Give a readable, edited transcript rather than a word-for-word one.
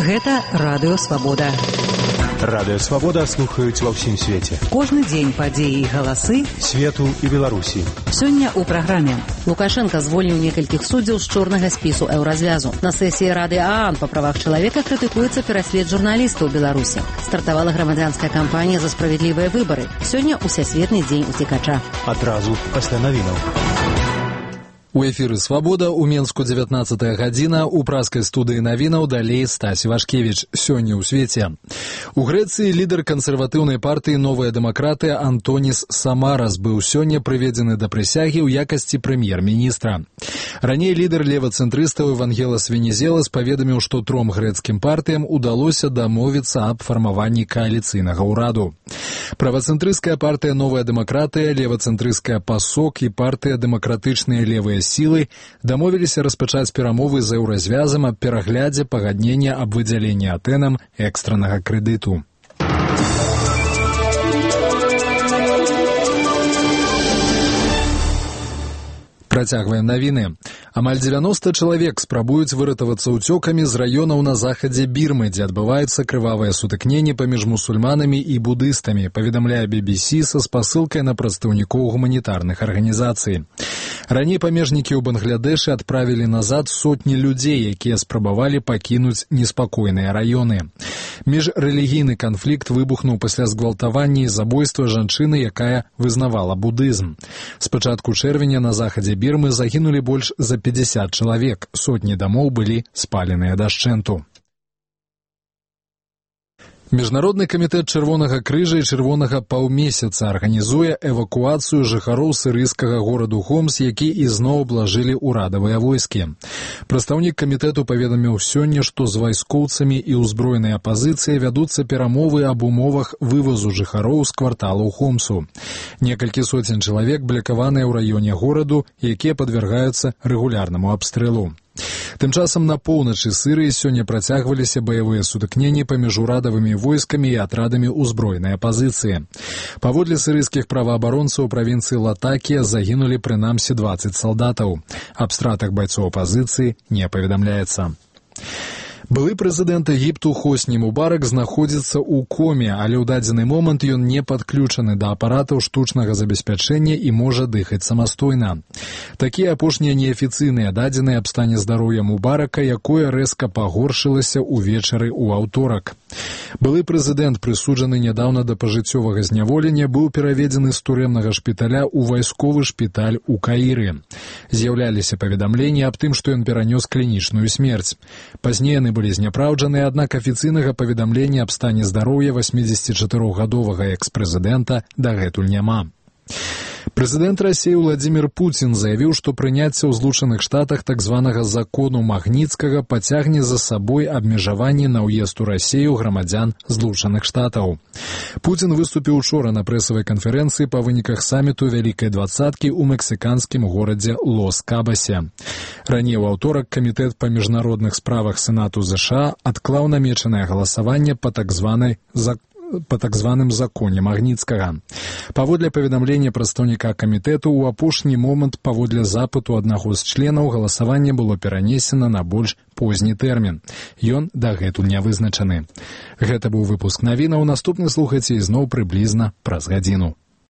Гэта Радыё Свабода. Радыё Свабода слухаюць ва ўсім свеце. Кожны дзень падзеі і галасы свету і Беларусі. Сёння ў праграме. Лукашенко звольніў некалькіх суддзяў з чорнага спісу еўразвязу. На сесіі Рады ААН па правах чалавека крытыкуецца пераслед журналістаў Беларусі. Стартавала грамадзянская кампанія за справядлівыя выбары. Сёння ўсесветны дзень уцекача. Адразу пасля навінаў. У эфіры «Свабода» у Менску 19 гадзіна, у праскай студыі навінаў далей Стась Івашкевіч. Сёння ў свеце. У Грэцыі лідар кансерватыўнай партыі «Новая дэмакратыя» Антоніс Самарас быў сёння прыведзены да прысягі ў якасці прэм'ер-міністра. Раней лідар левацэнтрыстаў Евангелас Венезелас паведаміў, што тром грэцкім партыям удалося дамовіцца аб фармаванні кааліцыйнага ўраду. Правацэнтрысцкая партыя «Новая дэмакратыя», левацэнтрысцкая «Пасок» і партыя «Дэмакратычныя левыя сілы» дамовіліся распачаць перамовы з еўразвязам аб пераглядзе пагаднення аб выдзяленні Атэнам экстраннага крэдыту. Працягваем навіны. Амаль 90 чалавек спрабуюць выратавацца ўцёкамі з раёнаў на захадзе Бірмы, дзе адбываецца крывавае сутыкненне паміж мусульманамі і будыстамі, паведамляе BBC са спасылкай на прадстаўнікоў гуманітарных арганізацый. Раней памежнікі ў Бангладэшы адправілі назад сотні людзей, якія спрабавалі пакінуць неспакойныя раёны. Міжрэлігійны канфлікт выбухнуў пасля згвалтавання і забойства жанчыны, якая вызнавала будызм. З пачатку чэрвеня на захадзе Бірмы загінулі больш за 50 чалавек, сотні дамоў былі спаленыя дашчэнту. Міжнародны камітэт Чырвонага крыжа і Чырвонага паўмесяца арганізуе эвакуацыю жыхароў сірыйскага гораду Хомс, які ізноў аблажылі ўрадавыя войскі. Прадстаўнік камітэту паведаміў сёння, што з вайскоўцамі і ўзброенай апазіцыяй вядуцца перамовы аб умовах вывазу жыхароў з кварталаў Хомсу. Некалькі соцень чалавек блякаваныя ў раёне гораду, якія падвяргаюцца рэгулярнаму абстрэлу. Тым часам на поўначы Сірыі сёння працягваліся баявыя сутыкненні паміж урадавымі войскамі і атрадамі ўзброенай апазіцыі. Паводле сірыйскіх праваабаронцаў правінцыі Латакія загінулі прынамсі 20 салдатаў. Аб стратах байцоў апазіцыі не паведамляецца. Былы прэзідэнт Егіпту Хосні Мубарак знаходзіцца ў коме, але ў дадзены момант ён не падключаны да апаратаў штучнага забеспячэння і можа дыхаць самастойна. Такія апошнія неафіцыйныя дадзеныя аб стане здароўя Мубарака, якое рэзка пагоршылася ўвечары ў аўторак. Былы прэзідэнт, прысуджаны нядаўна да пажыццёвага зняволення, быў пераведзены з турэмнага шпіталя ў вайсковы шпіталь у Каіры. З'яўляліся паведамленні аб тым, што ён перанёс клінічную смерць. Пазней яны былі зняпраўджаны, аднак афіцыйнага паведамлення аб стане здароўя 84-гадовага экс-прэзідэнта дагэтуль няма. Прэзідэнт Расіі Владзімір Пуцін заявіў, што прыняцце ў Злучаных Штатах так званага закону Магніцкага пацягне за сабой абмежаванне на ўезд у Расію грамадзян Злучаных Штатаў. Пуцін выступіў учора на прэсавай канферэнцыі па выніках саміту Вялікай двадцаткі ў мэксіканскім горадзе Лос-Кабасе. Раней у аўторак камітэт па міжнародных справах Сенату ЗША адклаў намечанае галасаванне па так званым законе Магніцкага. Паводле паведамлення прадстаўніка камітэту, у апошні момант паводле запыту аднаго з членаў галасаванне было перанесена на больш позні тэрмін. Ён дагэтуль не вызначаны. Гэта быў выпуск навінаў. Наступны слухайце ізноў прыблізна праз гадзіну.